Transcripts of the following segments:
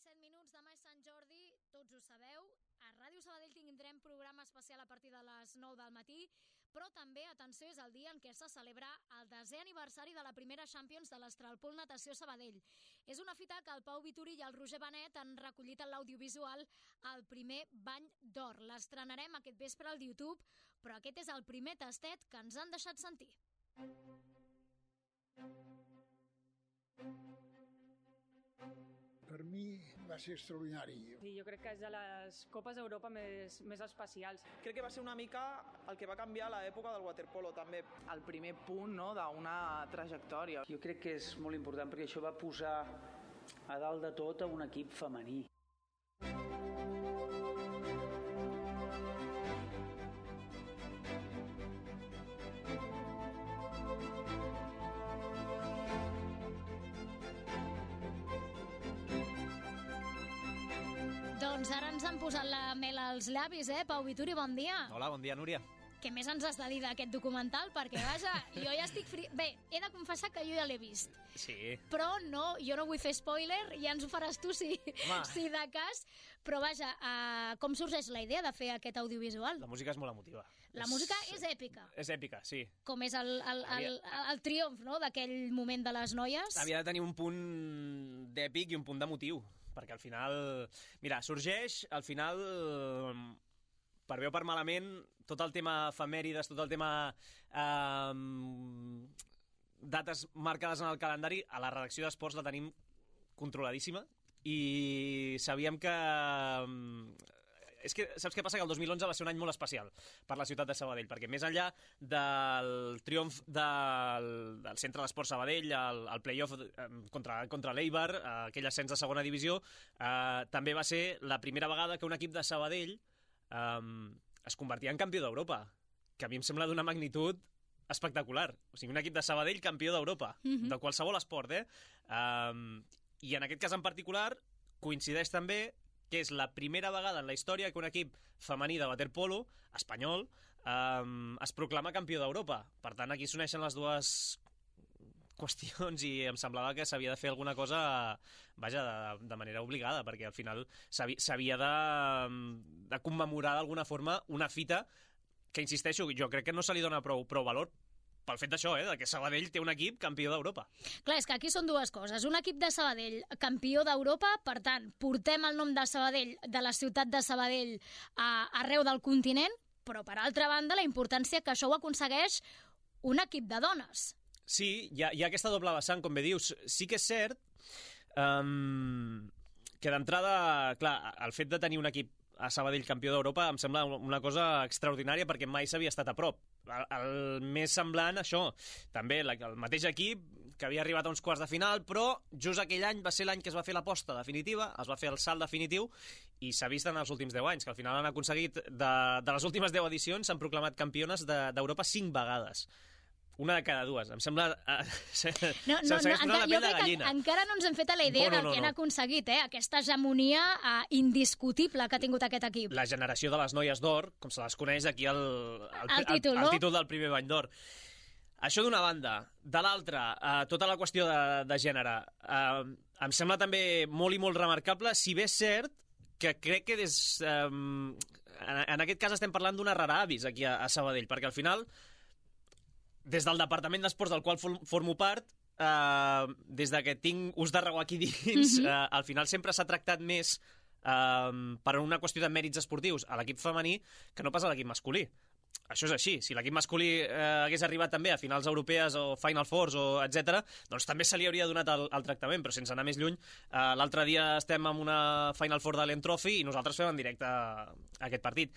7 minuts, demà és Sant Jordi, tots ho sabeu. A Ràdio Sabadell tindrem programa especial a partir de les 9 del matí, però també, atenció, és el dia en què se celebra el 10è aniversari de la primera Champions de l'Estralpool Natació Sabadell. És una fita que el Pau Vituri i el Roger Benet han recollit en l'audiovisual el primer bany d'or. L'estrenarem aquest vespre al YouTube, però aquest és el primer tastet que ens han deixat sentir. Per mi va ser extraordinari. Sí, jo crec que és de les Copes d'Europa més especials. Crec que va ser una mica el que va canviar l'època del waterpolo, també. El primer punt, no?, d'una trajectòria. Jo crec que és molt important perquè això va posar a dalt de tot a un equip femení. Doncs ara ens han posat la mel als llavis, Pau Vituri, bon dia. Hola, bon dia, Núria. Què més ens has de dir d'aquest documental? Perquè, vaja, jo ja estic Bé, he de confessar que jo ja l'he vist. Sí. Però no, jo no vull fer spoiler, ja ens ho faràs tu si de cas. Però vaja, com sorgeix la idea de fer aquest audiovisual? La música és molt emotiva. La música és èpica. És èpica, sí. Com és el triomf, no?, d'aquell moment de les noies. Havia de tenir un punt d'èpic i un punt d'emotiu, perquè al final... Mira, sorgeix, al final... per bé o per malament, tot el tema efemèrides, tot el tema dates marcades en el calendari, a la redacció d'esports la tenim controladíssima i sabíem que... És que saps què passa? Que el 2011 va ser un any molt especial per la ciutat de Sabadell, perquè més enllà del triomf del Centre d'Esport Sabadell, el play-off contra l'Eibar, aquell ascens de segona divisió, també va ser la primera vegada que un equip de Sabadell es convertia en campió d'Europa, que a mi em sembla d'una magnitud espectacular. O sigui, un equip de Sabadell campió d'Europa, de qualsevol esport, I en aquest cas en particular coincideix també que és la primera vegada en la història que un equip femení de waterpolo, espanyol, es proclama campió d'Europa. Per tant, aquí s'uneixen les dues qüestions i em semblava que s'havia de fer alguna cosa, vaja, de manera obligada, perquè al final s'havia de commemorar d'alguna forma una fita que, insisteixo, jo crec que no se li dona prou valor pel fet d'això, de que Sabadell té un equip campió d'Europa. Clar, és que aquí són dues coses. Un equip de Sabadell campió d'Europa, per tant, portem el nom de Sabadell, de la ciutat de Sabadell, arreu del continent, però, per altra banda, la importància que això ho aconsegueix un equip de dones. Sí, hi ha aquesta doble vessant, com bé dius. Sí que és cert que d'entrada, clar, el fet de tenir un equip a Sabadell campió d'Europa em sembla una cosa extraordinària perquè mai s'havia estat a prop. El més semblant, això, també el mateix equip que havia arribat a uns quarts de final, però just aquell any va ser l'any que es va fer l'aposta definitiva, es va fer el salt definitiu i s'ha vist en els últims 10 anys, que al final han aconseguit, de les últimes 10 edicions, s'han proclamat campiones d'Europa 5 vegades. Una de cada dues. Em sembla... Jo crec que encara no ens hem fet a la idea del que han aconseguit, aquesta hegemonia indiscutible que ha tingut aquest equip. La generació de les noies d'or, com se les coneix aquí el títol del primer bany d'or. Això d'una banda. De l'altra, tota la qüestió de gènere. Em sembla també molt i molt remarcable, si bé és cert que crec que en aquest cas estem parlant d'una rara avis aquí a Sabadell, perquè al final... Des del Departament d'Esports, del qual formo part, des de que tinc ús de raó aquí dins, al final sempre s'ha tractat més per una qüestió de mèrits esportius a l'equip femení que no pas a l'equip masculí. Això és així. Si l'equip masculí hagués arribat també a finals europees o Final Fours, etc., doncs també se li hauria donat el tractament, però sense anar més lluny. L'altre dia estem en una Final Four de l'En Trophy i nosaltres fem en directe aquest partit.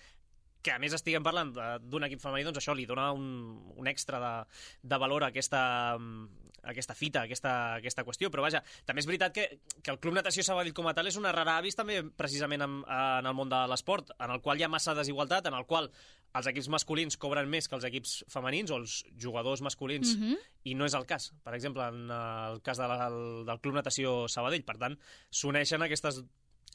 Que a més estiguem parlant d'un equip femení, doncs això li dona un extra de valor a aquesta fita, a aquesta qüestió. Però vaja, també és veritat que el Club Natació Sabadell com a tal és una rara avis també precisament en el món de l'esport, en el qual hi ha massa desigualtat, en el qual els equips masculins cobren més que els equips femenins o els jugadors masculins, i no és el cas, per exemple, en el cas del Club Natació Sabadell. Per tant, s'uneixen aquestes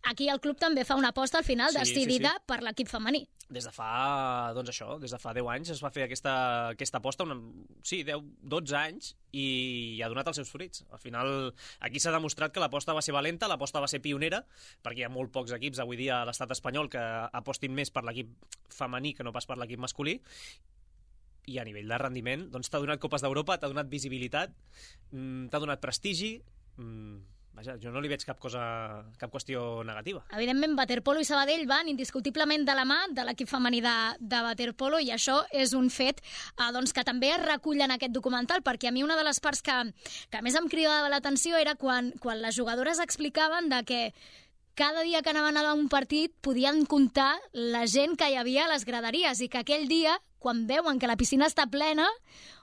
Aquí el club també fa una aposta al final decidida per l'equip femení. Des de fa 10 anys es va fer aquesta aposta, 12 anys, i ha donat els seus fruits. Al final, aquí s'ha demostrat que l'aposta va ser valenta, l'aposta va ser pionera, perquè hi ha molt pocs equips avui dia a l'estat espanyol que apostin més per l'equip femení que no pas per l'equip masculí, i a nivell de rendiment doncs t'ha donat Copes d'Europa, t'ha donat visibilitat, t'ha donat prestigi. Vaja, jo no li veig cap qüestió negativa. Evidentment, waterpolo i Sabadell van indiscutiblement de la mà de l'equip femení de waterpolo, i això és un fet que també es recull en aquest documental, perquè a mi una de les parts que més em cridava l'atenció era quan les jugadores explicaven de que cada dia que anaven a un partit podien comptar la gent que hi havia a les graderies, i que aquell dia, quan veuen que la piscina està plena,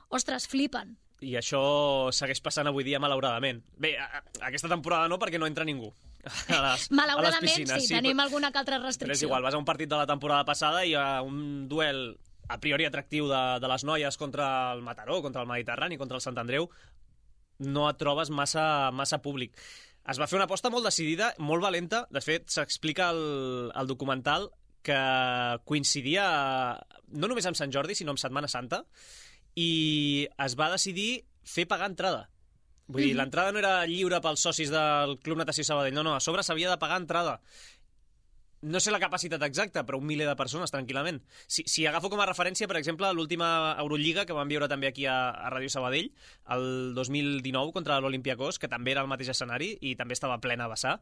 ostres, flipen. I això segueix passant avui dia, malauradament. Bé, aquesta temporada no, perquè no entra ningú a les piscines. Sí, tenim alguna que altra restricció. Però és igual, vas a un partit de la temporada passada i a un duel a priori atractiu de les noies contra el Mataró, contra el Mediterrani, contra el Sant Andreu, no et trobes massa públic. Es va fer una aposta molt decidida, molt valenta. De fet, s'explica al documental que coincidia no només amb Sant Jordi, sinó amb Setmana Santa, i es va decidir fer pagar entrada. Vull dir, l'entrada no era lliure pels socis del Club Natació Sabadell, no, a sobre s'havia de pagar entrada. No sé la capacitat exacta, però 1 miler de persones, tranquil·lament. Si agafo com a referència, per exemple, l'última Eurolliga que vam viure també aquí a Ràdio Sabadell, el 2019 contra l'Olympiacos, que també era el mateix escenari i també estava plena a vessar.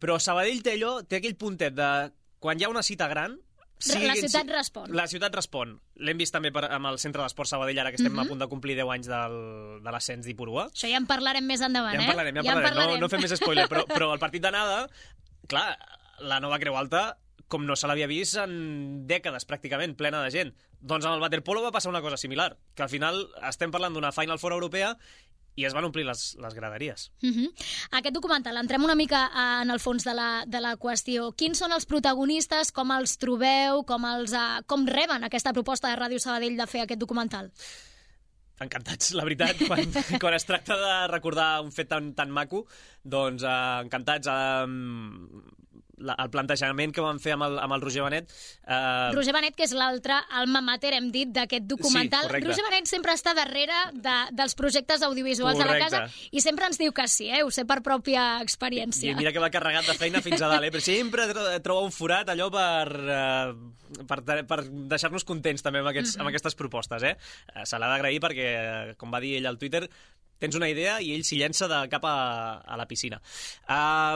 Però Sabadell té aquell puntet de quan hi ha una cita gran, la ciutat respon. La ciutat respon. L'hem vist també amb el Centre d'Esport Sabadell, ara que estem a punt de complir 10 anys de l'ascens d'Ipurua. Això ja en parlarem més endavant, Ja en parlarem. No fem més spoiler, però el partit d'anada, clar, la nova Creu Alta, com no se l'havia vist en dècades, pràcticament, plena de gent. Doncs amb el waterpolo va passar una cosa similar, que al final estem parlant d'una Final Four europea i es van omplir les graderies. Aquest documental, entrem una mica en el fons de la qüestió. Quins són els protagonistes, com els trobeu, com reben aquesta proposta de Ràdio Sabadell de fer aquest documental? Encantats, la veritat, quan es tracta de recordar un fet tan maco, doncs encantats. El plantejament que vam fer amb el Roger Benet... Roger Benet, que és l'altre alma mater, hem dit, d'aquest documental. Sí, Roger Benet sempre està darrere dels projectes audiovisuals de la casa i sempre ens diu que sí, ho sé per pròpia experiència. I mira que va carregat de feina fins a dalt, però sempre troba un forat allò per deixar-nos contents també amb aquestes propostes. Se l'ha d'agrair perquè, com va dir ell al Twitter, tens una idea i ell s'hi llença de cap a la piscina.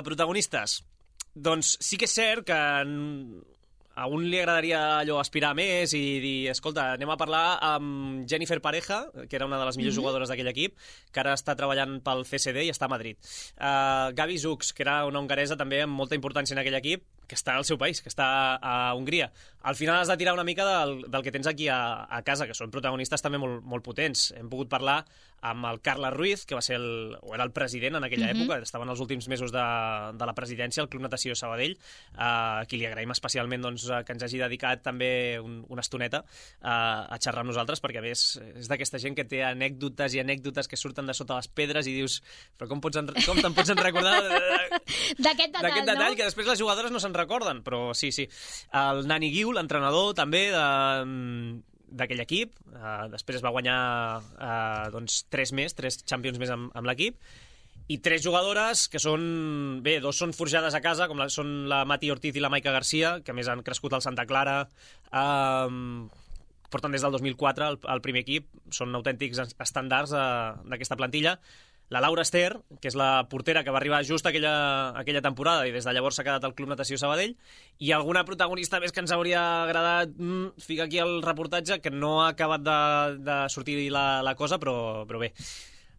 Protagonistes. Doncs sí que és cert que a un li agradaria allò aspirar més i dir, escolta, anem a parlar amb Jennifer Pareja, que era una de les millors jugadores d'aquell equip, que ara està treballant pel CSD i està a Madrid. Gabi Zux, que era una hongaresa també amb molta importància en aquell equip, que està al seu país, que està a Hongria. Al final has de tirar una mica del que tens aquí a casa, que són protagonistes també molt potents. Hem pogut parlar amb el Carles Ruiz, que era el president en aquella època, estaven els últims mesos de la presidència al Club Natació Sabadell, a qui li agraïm especialment que ens hagi dedicat també una estoneta a xerrar amb nosaltres, perquè a més és d'aquesta gent que té anècdotes i anècdotes que surten de sota les pedres i dius, però com te'n pots recordar d'aquest detall, no? Que després les jugadores no se'n recorden, però sí. El Nani Guiu, l'entrenador també d'aquell equip, després es va guanyar 3 Champions més amb l'equip, i 3 jugadores que són... Bé, 2 són forjades a casa, com són la Mati Ortiz i la Maica Garcia, que més han crescut al Santa Clara, porten des del 2004 al primer equip, són autèntics estàndards d'aquesta plantilla. La Laura Ester, que és la portera que va arribar just aquella temporada i des de llavors s'ha quedat al Club Natació Sabadell, i alguna protagonista més que ens hauria agradat ficar aquí al reportatge, que no ha acabat de sortir la cosa, però bé.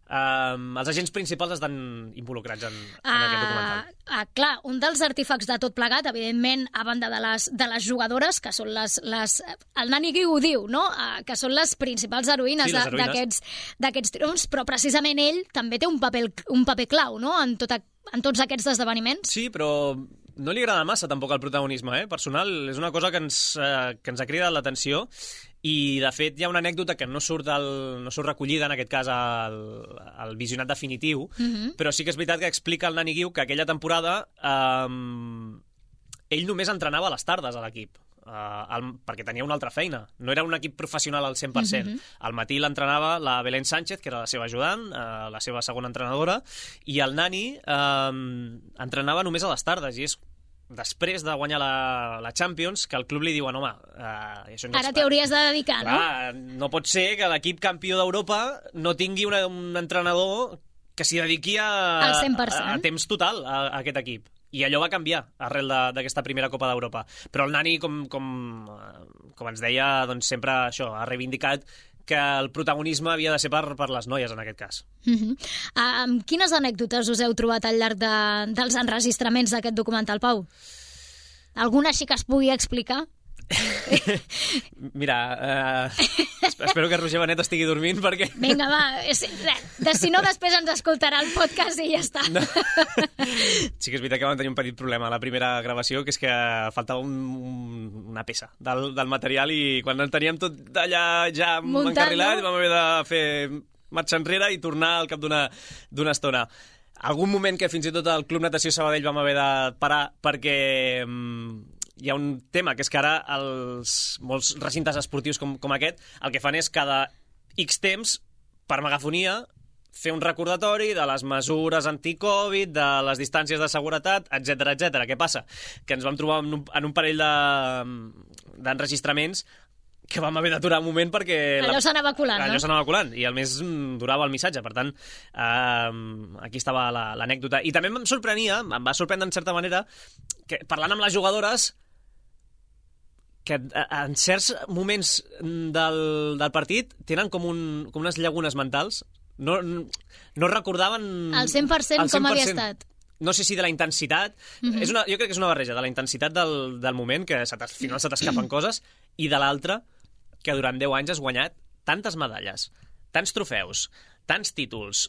Els agents principals estan involucrats en aquest documental. Clar, un dels artífecs de tot plegat, evidentment, a banda de les jugadores, que són el Nani Guiu ho diu, no? Que són les principals heroïnes d'aquests triomfs, però precisament ell també té un paper clau, no?, en tots aquests esdeveniments. Sí, però no li agrada massa tampoc el protagonisme, personal. És una cosa que ens ha cridat l'atenció I, de fet, hi ha una anècdota que no surt recollida, en aquest cas, al visionat definitiu, però sí que és veritat que explica el Nani Guiu que aquella temporada ell només entrenava a les tardes a l'equip, perquè tenia una altra feina. No era un equip professional al 100%. Al matí l'entrenava la Belén Sánchez, que era la seva ajudant, la seva segona entrenadora, i el Nani entrenava només a les tardes, i és després de guanyar la Champions, que el club li diuen, home... Ara t'hi hauries de dedicar, no? No pot ser que l'equip campió d'Europa no tingui un entrenador que s'hi dediqui al 100%. A temps total a aquest equip. I allò va canviar arrel d'aquesta primera Copa d'Europa. Però el Nani, com ens deia, doncs sempre això, ha reivindicat que el protagonisme havia de ser per les noies, en aquest cas. Quines anècdotes us heu trobat al llarg dels enregistraments d'aquest documental, Pau? Alguna així que es pugui explicar? Mira, espero que Roger Benet estigui dormint perquè... Vinga, va, si no després ens escoltarà el podcast i ja està. No. Sí que és veritat que vam tenir un petit problema a la primera gravació, que és que faltava una peça del material i quan en teníem tot allà ja encarrilat, vam haver de fer marxa enrere i tornar al cap d'una estona. Algun moment que fins i tot al Club Natació Sabadell vam haver de parar perquè... hi ha un tema, que és que ara molts recintes esportius com aquest el que fan és cada X temps, per megafonia, fer un recordatori de les mesures anti-Covid, de les distàncies de seguretat, etc. Què passa? Que ens vam trobar en un parell d'enregistraments que vam haver d'aturar un moment perquè... Allò s'anava colant, no? Allò s'anava colant, i al més durava el missatge. Per tant, aquí estava l'anècdota. I també em va sorprendre en certa manera, que parlant amb les jugadores, que en certs moments del partit tenen com unes llagunes mentals. No recordaven... Al 100% com havia estat. No sé si de la intensitat... Jo crec que és una barreja de la intensitat del moment, que al final se t'escapen coses, i de l'altra, que durant 10 anys has guanyat tantes medalles, tants trofeus, tants títols.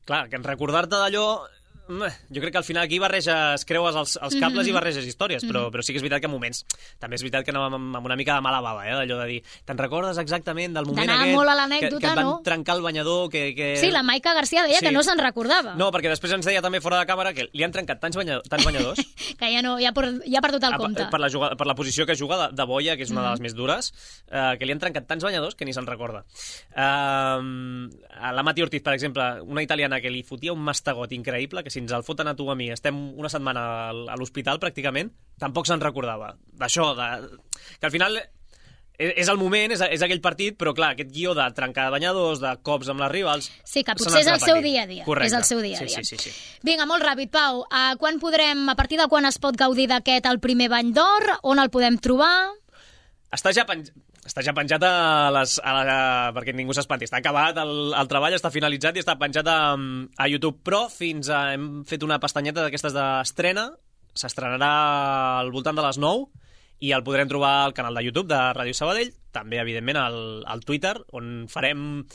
Clar, que en recordar-te d'allò... Jo crec que al final aquí creues els cables i barreges històries, però sí que és veritat que en moments... També és veritat que anàvem amb una mica de mala bava, d'allò de dir, te'n recordes exactament del moment aquest molt a l'anècdota, que et van trencar el banyador? Sí, la Maica García deia que no se'n recordava. No, perquè després ens deia també fora de càmera que li han trencat tants banyadors que ja ha perdut el compte. Per la posició que juga de boia, que és una de les més dures, que li han trencat tants banyadors que ni se'n recorda. La Mati Ortiz, per exemple, una italiana que li fotia un mastegot increïble, que si ens el foten a tu a mi, estem una setmana a l'hospital pràcticament, tampoc se'n recordava. D'això, que al final és el moment, és aquell partit, però clar, aquest guió de trencar banyadors, de cops amb les rivals... Sí, que potser és el seu dia a dia. Correcte. És el seu dia a dia. Sí. Vinga, molt ràpid, Pau. A partir de quan es pot gaudir d'aquest el primer Bany d'Or? On el podem trobar? Està ja penjat perquè ningú s'espanti. Està acabat, el treball està finalitzat i està penjat a YouTube. Però hem fet una pestanyeta d'aquestes d'estrena. S'estrenarà al voltant de les 9 i el podrem trobar al canal de YouTube de Ràdio Sabadell, també, evidentment, al Twitter, on penjarem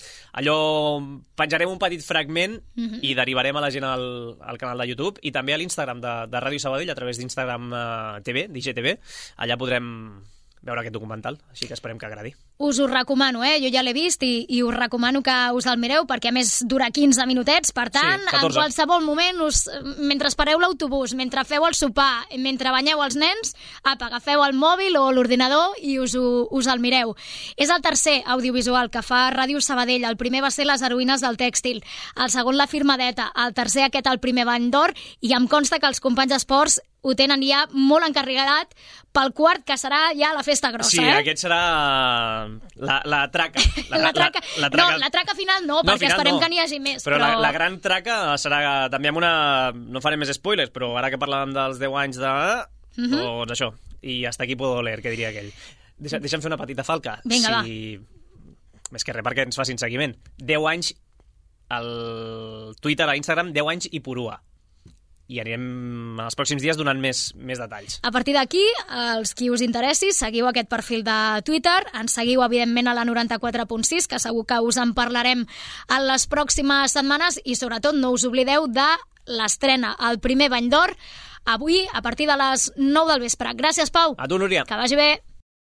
un petit fragment i derivarem a la gent al canal de YouTube, i també a l'Instagram de Ràdio Sabadell, a través d'Instagram TV, d'IGTV. Allà podrem veure aquest documental, així que esperem que agradi. Us ho recomano, jo ja l'he vist i us recomano que us el mireu, perquè a més dura 15 minutets, per tant, en qualsevol moment, mentre espereu l'autobús, mentre feu el sopar, mentre banyeu els nens, agafeu el mòbil o l'ordinador i us el mireu. És el tercer audiovisual que fa Ràdio Sabadell. El primer va ser Les heroïnes del tèxtil, el segon La firmadeta, el tercer el primer Bany d'Or, i em consta que els companys d'esports ho tenen ja molt encarregat pel quart, que serà ja la festa grossa. Sí, aquest serà la traca. No, la traca final no, perquè esperem que n'hi hagi més. Però la gran traca serà també amb una... No farem més spoilers, però ara que parlàvem dels 10 anys doncs això. I hasta aquí puedo leer, que diria aquell. Deixa'm fer una petita falca. Vinga, va. Més que res perquè ens facin seguiment. 10 anys al Twitter, a Instagram, 10 anys i purua. I anirem en els pròxims dies donant més detalls. A partir d'aquí, els qui us interessi, seguiu aquest perfil de Twitter, ens seguiu, evidentment, a la 94.6, que segur que us en parlarem en les pròximes setmanes, i sobretot no us oblideu de l'estrena, el primer Bany d'Or, avui, a partir de les 9 del vespre. Gràcies, Pau. A tu, Núria. Que vagi bé.